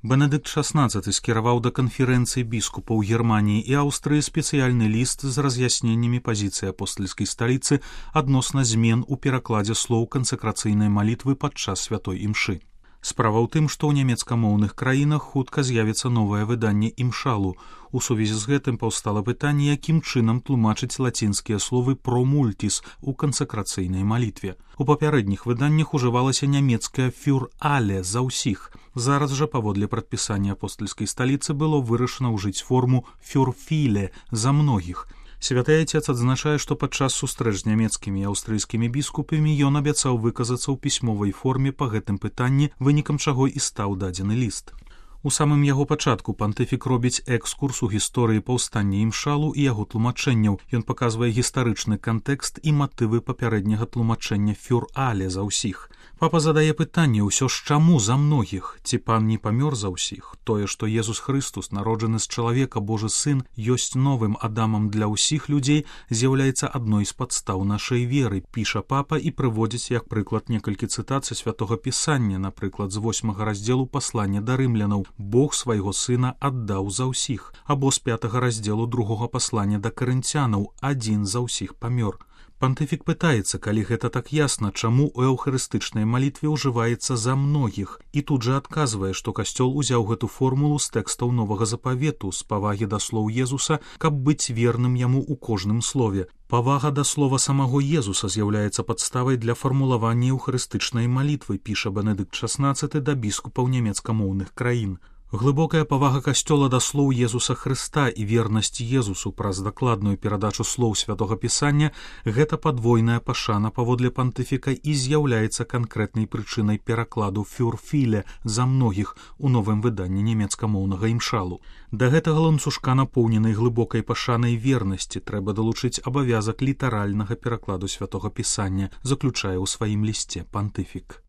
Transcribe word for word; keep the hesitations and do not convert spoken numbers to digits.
Бенедыкт шаснаццаты скіраваў да канферэнцыі біскупаў Германіі і Аўстрыі спецыяльны ліст з раз'ясненнямі пазіцыі апостальскай сталіцы адносна змен у перакладзе слоў кансакрацыйнай малітвы падчас святой імшы. Справа ў тым, што ў нямецкамоўных краінах хутка з'явіцца новае выданне імшалу. У сувязі з гэтым паўстала пытанне, якім чынам тлумачыць лацінскія словы «pro multis» у кансакрацыйнай малітве. У папярэдніх выданнях ужывалася нямецкая «für alle» за ўсіх. Зараз жа, паводле прадпісання апостальскай сталіцы, было вырашана ўжыць форму «für viele» за многіх. Святы Айцец адзначае, што падчас сустрэч з нямецкімі і аўстрыйскімі біскупамі ён абяцаў выказацца ў пісьмовай форме па гэтым пытанні, вынікам чаго і стаў дадзены ліст. У самым яго пачатку пантыфік робіць экскурс у гісторыі паўстання імшалу і яго тлумачэнняў. Ён паказвае гістарычны кантэкст і матывы папярэдняга тлумачэння «für alle» за ўсіх. Папа задае пытанне ўсё ж чаму за многіх, ці пан не памёр за ўсіх. Тое, што Езус Хрыстус, народжаны з чалавека, Божы сын, ёсць новым Адамам для ўсіх людзей, з'яўляецца адной з падстаў нашай веры, піша папа і прыводзіць як прыклад некалькі цытацый святога пісання, напрыклад, з восьмага раздзелу паслання да рымлянаў «Бог свайго сына аддаў за ўсіх», або з пятага раздзелу другога паслання да карынцянаў «Адзін за ўсіх памёр». Пантыфік пытаецца, калі гэта так ясна, чаму ў эўхарыстычнай малітве ўжываецца «за многіх», і тут жа адказвае, што касцёл узяў гэту формулу з тэкстаў новага запавету, з павагі да слоў Езуса, каб быць верным яму ў кожным слове. Павага да слова самого Езуса з'яўляецца падставай для фармулавання эўхарыстычнай малітвы, піша Бенедыкт шаснаццаты да біскупаў нямецкамоўных краін. Глыбокая павага касцёла да слоў Езуса Хрыста і вернасць Езусу праз дакладную перадачу слоў святога пісання – гэта падвойная пашана паводле пантыфіка і з'яўляецца канкрэтнай прычынай перакладу «für viele» за многіх у новым выданні нямецкамоўнага імшалу. Да гэтага ланцужка, напоўненай глыбокай пашанай вернасці, трэба далучыць абавязак літаральнага перакладу святога пісання, заключае ў сваім лісце пантыфік.